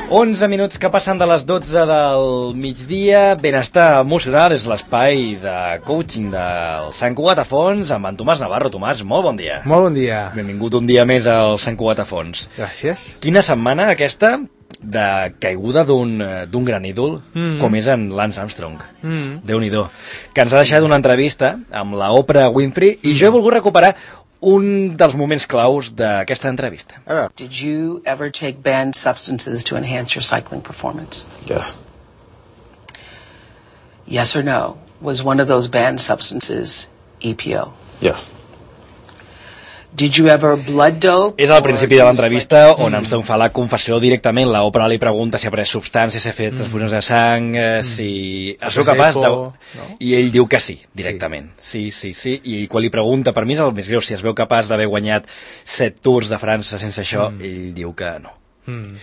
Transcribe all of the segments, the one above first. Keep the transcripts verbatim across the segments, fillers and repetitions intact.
onze minuts que passen de les dotze del migdia. Benestar emocional és l'espai de coaching del Sant Cugat a Fons amb en Tomàs Navarro. Tomàs, molt bon dia. Molt bon dia. Benvingut un dia més al Sant Cugat a Fons. Gràcies. Quina setmana aquesta de caiguda d'un d'un gran ídol mm. com és en Lance Armstrong. Mm. Déu-n'hi-do. Que ens ha deixat una entrevista amb la Oprah Winfrey i jo he volgut recuperar un dels moments claus d'aquesta entrevista. Did you ever take banned substances to enhance your cycling performance? Yes. Yes or no? Was one of those banned substances E P O? Yes. Did you ever blood dope? És al principi de l'entrevista on Armstrong fa la confessió directament. La Oprah li pregunta si ha pres substàncies, si ha fet transfusions de sang, eh, si ha sigut capaç de... No? I ell diu que sí, directament. Sí, sí, sí. I quan li pregunta, per mi és el més greu, si es veu capaç d'haver guanyat set Tours de França sense això, mm. ell diu que no. Mm.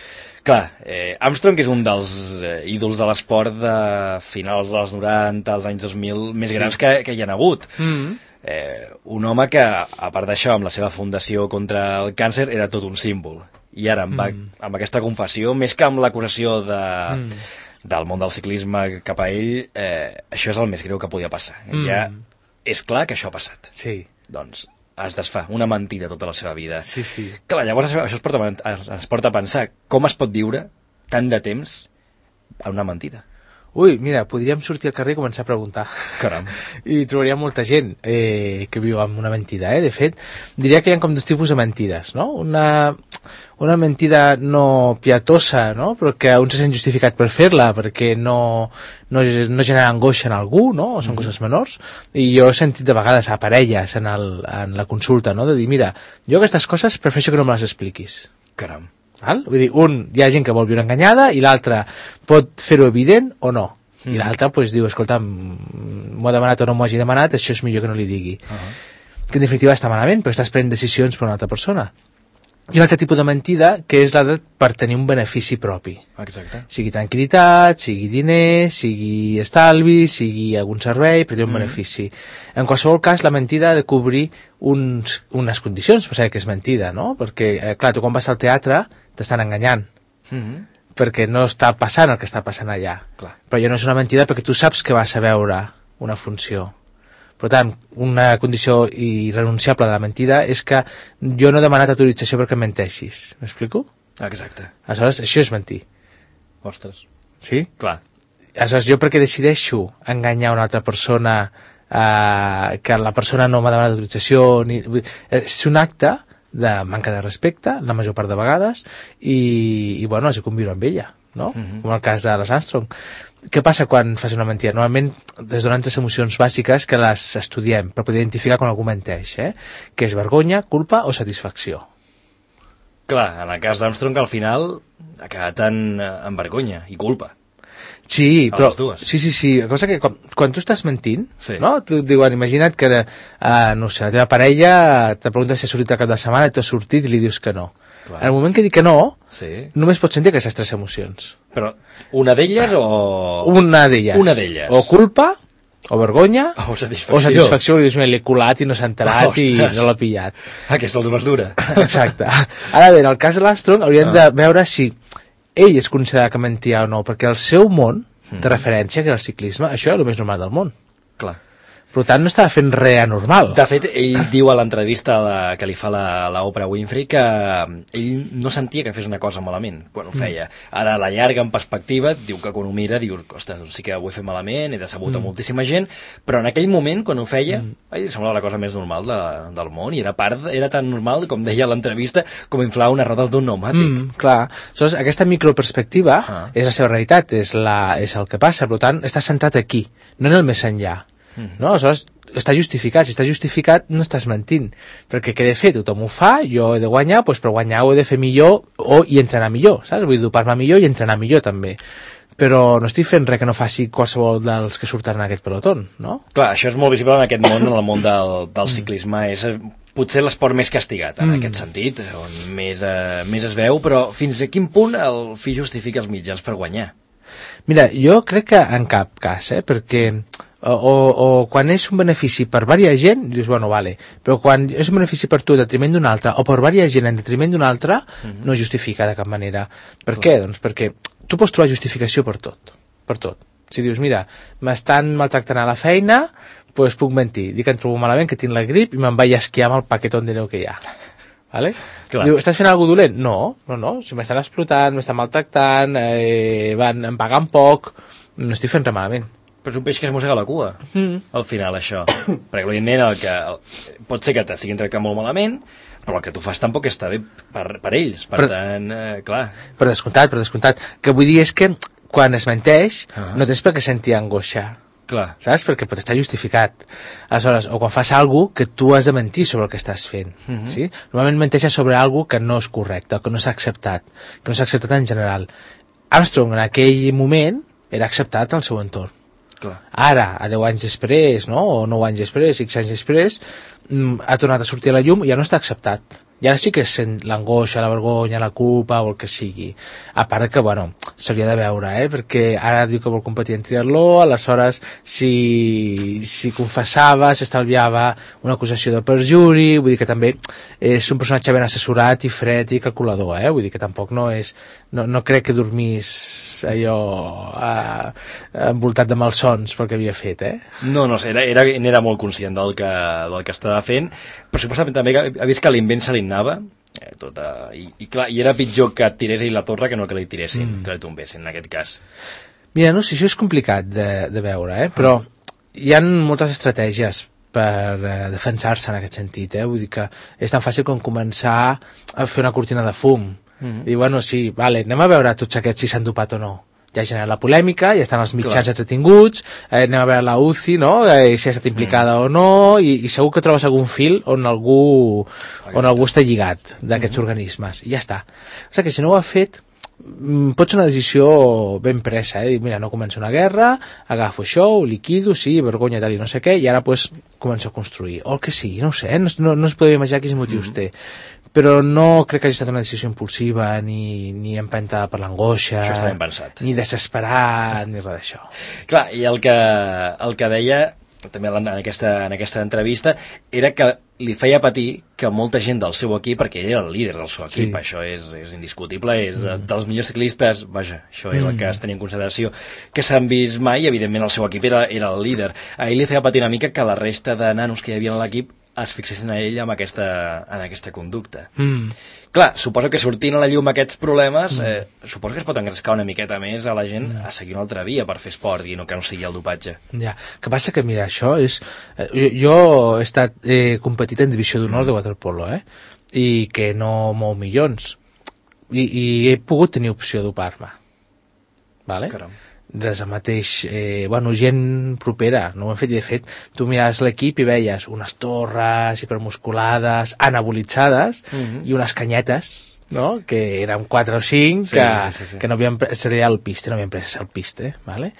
Clar, eh, Armstrong és un dels eh, ídols de l'esport de finals dels noranta, als anys dos mil, més sí. grans que, que hi ha hagut. Mm. Eh, un home que, a part d'això, amb la seva fundació contra el càncer, era tot un símbol. I ara, amb, mm. amb aquesta confessió, més que amb l'acusació de, mm. del món del ciclisme cap a ell, eh, això és el més greu que podia passar. Mm. Ja és clar que això ha passat. Sí. Doncs es desfà una mentida tota la seva vida. Sí, sí. Clar, llavors això es porta, es porta a pensar com es pot viure tant de temps en una mentida. Ui, mira, podríem sortir al carrer i començar a preguntar. Caram. I trobaríem molta gent eh, que viu amb una mentida, eh? De fet, diria que hi ha com dos tipus de mentides, no? Una, una mentida no pietosa, no? Però que un se sent justificat per fer-la, perquè no, no, no genera angoixa en algú, no? O són mm. coses menors. I jo he sentit de vegades a parelles en, el, en la consulta, no? De dir, mira, jo aquestes coses prefereixo que no me les expliquis. Caram. Val? Vull dir, un, hi ha gent que vol viure enganyada i l'altre pot fer-ho evident o no. Mm. I l'altre pues, diu, escolta, m'ho ha demanat o no m'ho hagi demanat, això és millor que no li digui. Uh -huh. Que en definitiva està malament, perquè estàs prenent decisions per una altra persona. I un altre tipus de mentida, que és la de per tenir un benefici propi. Exacte. Sigui tranquil·litat, sigui diners, sigui estalvi, sigui algun servei, per tenir un mm. benefici. En qualsevol cas, la mentida ha de cobrir uns, unes condicions per saber que és mentida, no? Perquè, eh, clar, tu quan vas al teatre t'estan enganyant. Mm -hmm. Perquè no està passant el que està passant allà. Clar. Però ja no és una mentida perquè tu saps que vas a veure una funció. Per tant, una condició irrenunciable de la mentida és que jo no he demanat autorització perquè em menteixis. M'explico? Exacte. Aleshores, això és mentir. Ostres. Sí? Clar. Aleshores, jo perquè decideixo enganyar una altra persona eh, que la persona no m'ha demanat autorització, ni... és un acte de manca de respecte, la major part de vegades, i, i bueno, has de conviure amb ella, no? Uh-huh. Com el cas de les Armstrong. Què passa quan fas una mentida? Normalment es donen tres emocions bàsiques que les estudiem per poder identificar quan algú menteix, eh? Que és vergonya, culpa o satisfacció. Clar, en el cas d'Armstrong al final ha quedat en, en vergonya i culpa. Sí, a però... les dues. Sí, sí, sí. La cosa que quan, quan tu estàs mentint, sí. no? Tu diuen, imagina't que, uh, no sé, la teva parella te pregunta si ha sortit el cap de setmana i tu has sortit i li dius que no. Clar. En el moment que dic que no, sí. només pots sentir aquestes tres emocions. Però una d'elles o... Una d'elles. Una d'elles. O culpa, o vergonya, o satisfacció. O satisfacció, li dius, l'he colat i no s'ha enterat oh, i no l'ha pillat. Aquesta és més dura. Exacte. Ara bé, en el cas de l'Armstrong hauríem ah. de veure si ell es considera que mentia o no, perquè el seu món de mm. referència, que era el ciclisme, això era el més normal del món. Clar. Per tant, no estava fent res anormal. De fet, ell diu a l'entrevista que li fa la, la Oprah Winfrey que ell no sentia que fes una cosa malament quan ho feia. Ara, a la llarga, en perspectiva, diu que quan ho mira, diu, ostres, doncs sí que ho he fet malament, he decebut mm. a moltíssima gent, però en aquell moment, quan ho feia, mm. a ell li semblava la cosa més normal de, del món, i era part, era tan normal, com deia a l'entrevista, com inflar una roda d'un pneumàtic. Mm, clar. Aleshores, aquesta microperspectiva ah. és la seva realitat, és, la, és el que passa, per tant, està centrat aquí, no en el més enllà. Mm-hmm. No? Aleshores, està justificat. Si està justificat, no estàs mentint. Perquè què he de fer? Tothom ho fa, jo he de guanyar, doncs per guanyar ho he de fer millor o i entrenar millor, saps? Vull dopar-me millor i entrenar millor, també. Però no estic fent res que no faci qualsevol dels que surten en aquest pelotón, no? Clar, això és molt visible en aquest món, en el món del, del ciclisme. És potser l'esport més castigat, en mm. aquest sentit, on més, eh, més es veu, però fins a quin punt el fi justifica els mitjans per guanyar? Mira, jo crec que en cap cas, eh? Perquè o, o, o quan és un benefici per diversa gent, dius, bueno, vale, però quan és un benefici per tu en detriment d'un altre, o per diversa gent en detriment d'un altre, mm-hmm. no justifica de cap manera. Per Clar. Què? Doncs perquè tu pots trobar justificació per tot, per tot. Si dius, mira, m'estan maltractant a la feina, doncs pues puc mentir, dic que em trobo malament, que tinc la grip i me'n vaig a esquiar amb el paquetón de neu que hi ha. Vale? Diu, estàs fent alguna cosa dolent? No, no, no, si m'estan explotant, m'estan maltractant, eh, van, em pagant poc, no estic fent res malament. Però és un peix que es mossega la cua, mm. al final, això. Perquè, evidentment, el que, el, pot ser que t'estiguin tractant molt malament, però el que tu fas tampoc està bé per, per ells, per però, tant, eh, clar. Per descomptat, per descomptat. Que vull dir és que quan es menteix, uh-huh. no tens per què sentir angoixa. Clar. Saps? Perquè pot estar justificat. Aleshores, o quan fas alguna cosa que tu has de mentir sobre el que estàs fent. Uh-huh. Sí? Normalment menteixes sobre alguna cosa que no és correcte, que no s'ha acceptat, que no s'ha acceptat en general. Armstrong, en aquell moment, era acceptat al seu entorn. Clar. Ara, a deu anys després, no? O nou anys després, X anys després, ha tornat a sortir a la llum i ja no està acceptat. I ara sí que sent l'angoixa, la vergonya, la culpa o el que sigui. A part que, bueno, s'hauria de veure, eh? Perquè ara diu que vol competir en triatló, aleshores si, si confessava, s'estalviava una acusació de perjuri, vull dir que també és un personatge ben assessorat i fred i calculador, eh? Vull dir que tampoc no és... No, no crec que dormís allò eh, envoltat de malsons pel que havia fet, eh? No, no sé, era, era, era molt conscient del que, del que estava fent, però suposadament també ha vist que l'invent se li anava, eh, tota, i, i clar, i era pitjor que et tirés ell la torre que no que li tiressin, mm. que li tombessin, en aquest cas. Mira, no sé, això és complicat de, de veure, eh? Però hi ha moltes estratègies per eh, defensar-se en aquest sentit, eh? Vull dir que és tan fàcil com començar a fer una cortina de fum. Mm-hmm. I bueno, sí, vale, anem a veure tots aquests si s'han dopat o no. Ja genera la polèmica, ja estan els mitjans entretinguts, eh, anem a veure la U C I, no? Eh, si ha estat implicada mm. o no, i, i segur que trobes algun fil on algú, on algú està lligat d'aquests mm-hmm. organismes, i ja està. O sigui que si no ho ha fet, pot ser una decisió ben presa, eh? Mira, no comença una guerra, agafo això, ho liquido, sí, vergonya tal i no sé què, i ara pues començo a construir, o el que sigui, no ho sé, eh? no, no, no es podria imaginar quins motius mm. té, però no crec que hagi estat una decisió impulsiva ni, ni empentada per l'angoixa, ni desesperat, ni res d'això. Clar, i el que, el que deia també en aquesta, en aquesta entrevista era que li feia patir que molta gent del seu equip, perquè ell era el líder del seu equip, sí. Això és, és indiscutible, és mm. dels millors ciclistes, vaja, això és mm. el que es tenia en consideració, que s'han vist mai, evidentment el seu equip era, era el líder. A ell li feia patir una mica que la resta de nanos que hi havia en l'equip es fixessin a ell amb aquesta, en aquesta conducta. Mm. Clar, suposo que sortint a la llum aquests problemes, mm. eh, suposo que es pot engrescar una miqueta més a la gent mm. a seguir una altra via per fer esport i no que no sigui el dopatge. Ja, que passa que, mira, això és... Eh, jo, jo he estat eh, competit en divisió d'honor mm. de waterpolo, eh? I que no mou milions. I, i he pogut tenir opció de dopar-me. Vale? Caram. Des del mateix, eh, bueno, gent propera, no ho hem fet, i de fet, tu miraves l'equip i veies unes torres hipermusculades, anabolitzades, mm-hmm. i unes canyetes, no?, que eren quatre o cinc, sí, que, sí, sí, sí. que no havien pres, seria el piste, no havien pres el piste, vale?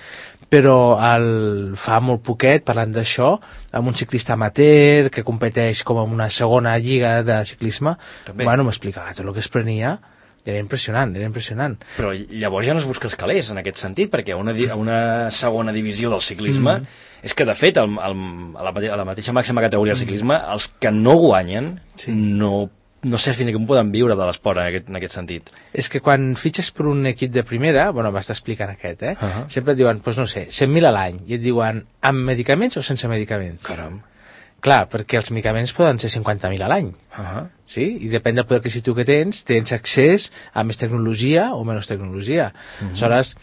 Però el, fa molt poquet, parlant d'això, amb un ciclista amateur que competeix com en una segona lliga de ciclisme, també. Bueno, m'explicava tot el que es prenia. Era impressionant, era impressionant. Però llavors ja no es busca els calés, en aquest sentit, perquè a una, a una segona divisió del ciclisme, mm. és que, de fet, el, el, a, la, a la mateixa màxima categoria del ciclisme, els que no guanyen, sí. no, no sé fins i com poden viure de l'esport en aquest, en aquest sentit. És que quan fitxes per un equip de primera, bueno, m'està explicant aquest, eh? Uh-huh. Sempre et diuen, doncs no sé, cent mil a l'any, i et diuen, amb medicaments o sense medicaments? Caram. Clar, perquè els medicaments poden ser cinquanta mil a l'any, uh-huh. sí? I depèn del poder adquisitiu que tens, tens accés a més tecnologia o menys tecnologia. Uh-huh. Aleshores,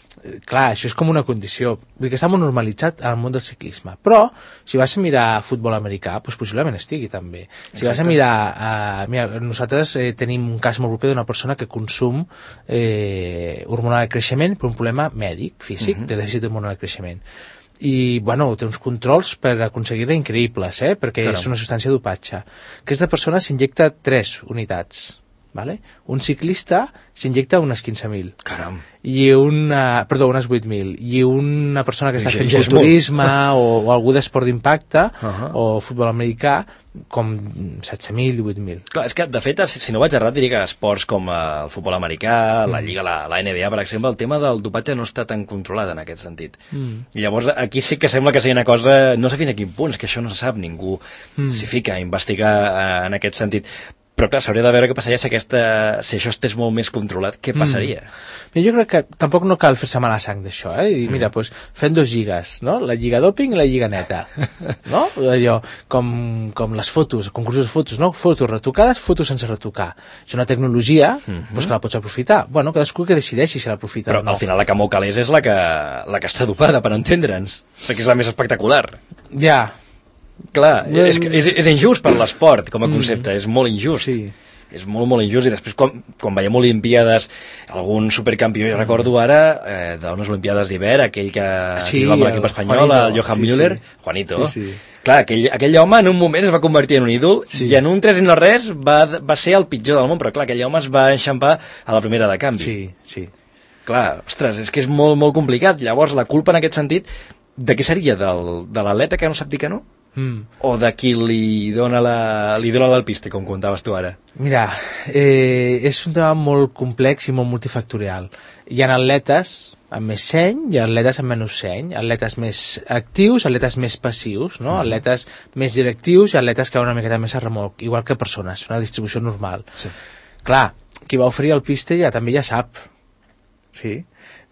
clar, això és com una condició. Vull dir que està molt normalitzat al món del ciclisme. Però, si vas a mirar futbol americà, doncs possiblement estigui també. Si Exacte. Vas a mirar... Uh, mira, nosaltres eh, tenim un cas molt proper d'una persona que consum eh, hormonal de creixement per un problema mèdic, físic, uh-huh. de dèficit hormonal de creixement. I, bueno, té uns controls per aconseguir-la increïbles, eh? Perquè Caram. És una substància dopatge. Aquesta persona s'injecta tres unitats vale? Un ciclista s'injecta unes quinze mil. Caram. I una, perdó, unes vuit mil. I una persona que està fent culturisme o, o algú d'esport d'impacte uh -huh. o futbol americà, com setze mil i vuit mil. Clar, és que, de fet, si no vaig errat, diria que esports com el futbol americà, la Lliga, la, la N B A, per exemple, el tema del dopatge no està tan controlat en aquest sentit. Mm. I llavors, aquí sí que sembla que sigui una cosa, no sé fins a quin punt, és que això no se sap, ningú mm. s'hi fica a investigar en aquest sentit. Però clar, s'hauria de veure què passaria si, aquesta, si això estés molt més controlat, què passaria? Mm. Jo crec que tampoc no cal fer-se mala sang d'això, eh? I dir, mira, mm. doncs fem dos lligues, no? La lliga doping i la lliga neta, no? Allò, com, com les fotos, concursos de fotos, no? Fotos retocades, fotos sense retocar. És una tecnologia, mm-hmm. doncs que la pots aprofitar. Bueno, cadascú que decideixi si l'aprofita o no. Però al final la Camó Calés és la que, la que està dopada, per entendre'ns, perquè és la més espectacular. Ja, clar, no, és, és, és injust per l'esport com a concepte, mm. és molt injust sí. és molt molt injust, i després quan, quan veiem Olimpíades, algun supercampió, jo mm. recordo ara eh, d'unes Olimpíades d'hivern, aquell que sí, va amb l'equip espanyol, Juanito, el Johan sí, Müller, sí. Juanito sí, sí. clar, aquell, aquell home en un moment es va convertir en un ídol sí. i en un tres i no res va, va ser el pitjor del món, però clar, aquell home es va enxampar a la primera de canvi sí, sí. clar, ostres, és que és molt molt complicat. Llavors la culpa en aquest sentit de què seria? Del, de l'atleta que no sap dir que no? Mm. O de qui li dona la, li dona l'alpiste, com contaves tu ara? Mira, eh, és un tema molt complex i molt multifactorial. Hi ha atletes amb més seny i atletes amb menys seny, atletes més actius, atletes més passius, no? Mm. Atletes més directius i atletes que van una miqueta més a remolc, igual que persones, una distribució normal. Sí. Clar, qui va oferir el piste ja també ja sap, sí,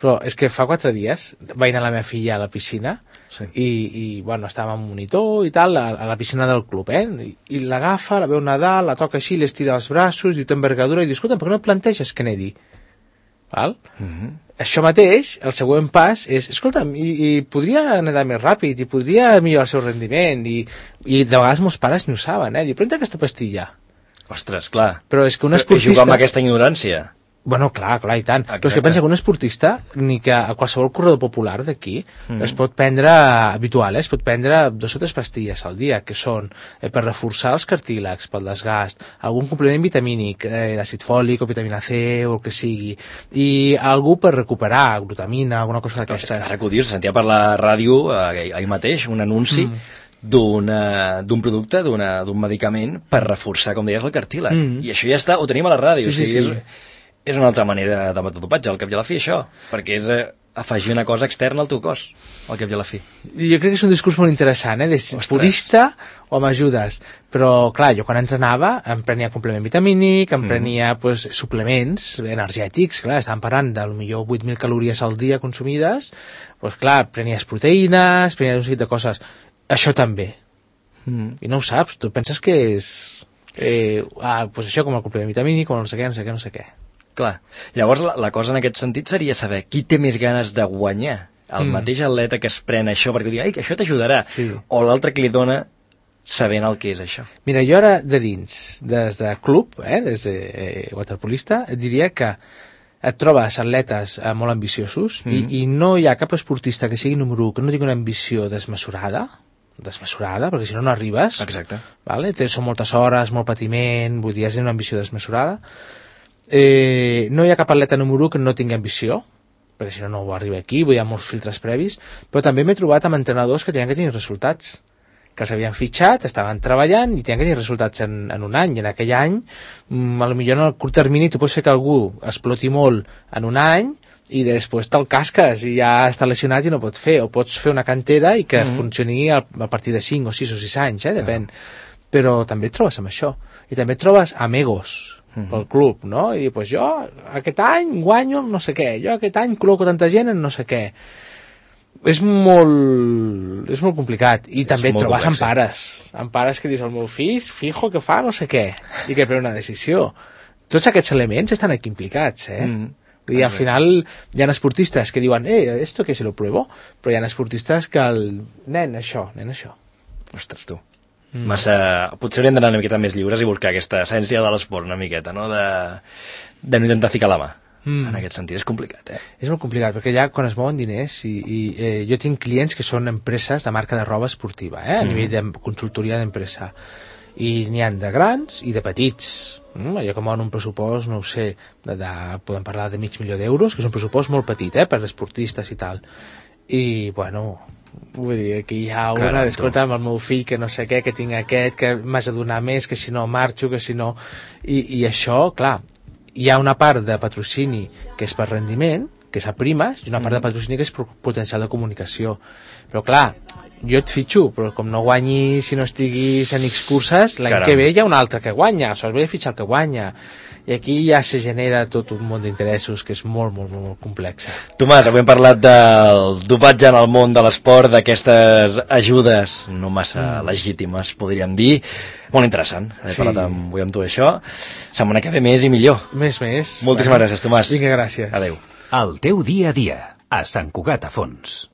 però és que fa quatre dies vaig anar a la meva filla a la piscina sí. i, i bueno, estava amb un monitor i tal, a, a la piscina del club, eh? I, i l'agafa, la veu nedar, la toca així, l'estira els braços, diu, té envergadura, i diu, escolta, per què no et planteges que nedi? Val? Mm-hmm. Això mateix, el següent pas és, escolta'm, i, i podria nedar més ràpid, i podria millorar el seu rendiment, i, i de vegades molts pares no ho saben, eh? Diu, pren aquesta pastilla. Ostres, clar. Però és que un esportista... I jugar amb aquesta ignorància. Bueno, clar, clar, i tant. Exacte. Però és que pensa que un esportista, ni que a qualsevol corredor popular d'aquí, mm. es pot prendre, habitual, eh? es pot prendre dos o tres pastilles al dia, que són eh, per reforçar els cartílags, pel desgast, algun complement vitamínic, eh, d'àcid fòlic o vitamina C o el que sigui, i algú per recuperar, glutamina, alguna cosa d'aquestes. Ara que ho dius, sentia per la ràdio, eh, ahir mateix, un anunci mm. d'un producte, d'un medicament per reforçar, com deies, el cartílag. Mm. I això ja està, ho tenim a la ràdio. Sí, o sigui, sí, sí. És, és una altra manera de dopatge, al cap i a la fi, això, perquè és eh, afegir una cosa externa al teu cos, al cap i a la fi. Jo crec que és un discurs molt interessant, eh, de Ostres. Purista o m'ajudes, però clar, jo quan entrenava em prenia complement vitamínic, em prenia mm. pues, suplements energètics, clar, estàvem parlant de millor vuit mil calories al dia consumides, pues clar, prenies proteïnes, prenies un seguit de coses, això també, mm. i no ho saps, tu penses que és eh, ah, pues això com el complement vitamínic, com no sé què, no sé què, no sé què. Clar. Llavors la, la cosa en aquest sentit seria saber qui té més ganes de guanyar, el mm. mateix atleta que es pren això perquè diu, ai, que això t'ajudarà, sí. o l'altre que li dona sabent el que és això. Mira, jo ara de dins, des de club, eh, des de eh, waterpolista, et diria que et trobes atletes eh, molt ambiciosos mm. i, i no hi ha cap esportista que sigui número u que no tingui una ambició desmesurada, desmesurada, perquè si no no arribes. Exacte. Vale? Són moltes hores, molt patiment, vull dir, és una ambició desmesurada. Eh, no hi ha cap atleta número u que no tingui ambició, perquè si no no ho arriba aquí, hi ha molts filtres previs, però també m'he trobat amb entrenadors que tenien que tenir resultats, que els havien fitxat, estaven treballant i tenien que tenir resultats en, en un any, i en aquell any, mm, a lo millor en el curt termini tu pots fer que algú exploti molt en un any i després te'l casques i ja està lesionat i no pot fer, o pots fer una cantera i que mm-hmm. funcioni a, a partir de cinc o sis o sis anys, eh, depèn. Mm. Però també et trobes amb això, i també et trobes amb egos, Mm-hmm. pel club, no? I dir, pues jo aquest any guanyo no sé què, jo aquest any col·loco tanta gent en no sé què. És molt és molt complicat, i és també et trobes amb pares amb pares que dius, el meu fill fijo que fa no sé què, i que pren una decisió. Tots aquests elements estan aquí implicats, eh? Mm. Vull dir, al final hi ha esportistes que diuen, eh, esto que se lo pruebo, però hi ha esportistes que el nen això, nen això. Ostres, tu. Mm. Massa... Potser hauríem d'anar una miqueta més lliures i buscar aquesta essència de l'esport una miqueta, no? De, de no intentar ficar la mà. Mm. En aquest sentit és complicat, eh? És molt complicat, perquè allà quan es mouen diners i, i eh, jo tinc clients que són empreses de marca de roba esportiva, eh? A mm. nivell de consultoria d'empresa, i n'hi ha de grans i de petits. Mm, allò que mouen un pressupost, no ho sé, de, de, podem parlar de mig milió d'euros, que és un pressupost molt petit, eh, per esportistes i tal. I, bueno, vull dir, aquí hi ha una, escolta, amb el meu fill, que no sé què, que tinc aquest, que m'has de donar més, que si no marxo, que si no... I, i això, clar, hi ha una part de patrocini que és per rendiment, que és a primes, i una part de patrocini que és potencial de comunicació. Però, clar, jo et fitxo, però com no guanyi, si no estiguis en X curses, l'any que ve hi ha un altre que guanya, sols ve a fitxar el que guanya. I aquí ja se genera tot un món d'interessos que és molt, molt, molt complex. Tomàs, avui hem parlat del dopatge en el món de l'esport, d'aquestes ajudes no massa mm. legítimes, podríem dir. Molt interessant, he sí. parlat amb, avui amb tu això. Setmana que ve més i millor. Més, més. Moltíssimes bueno. gràcies, Tomàs. Vinga, gràcies. Adéu. El teu dia a dia, a Sant Cugat a Fons.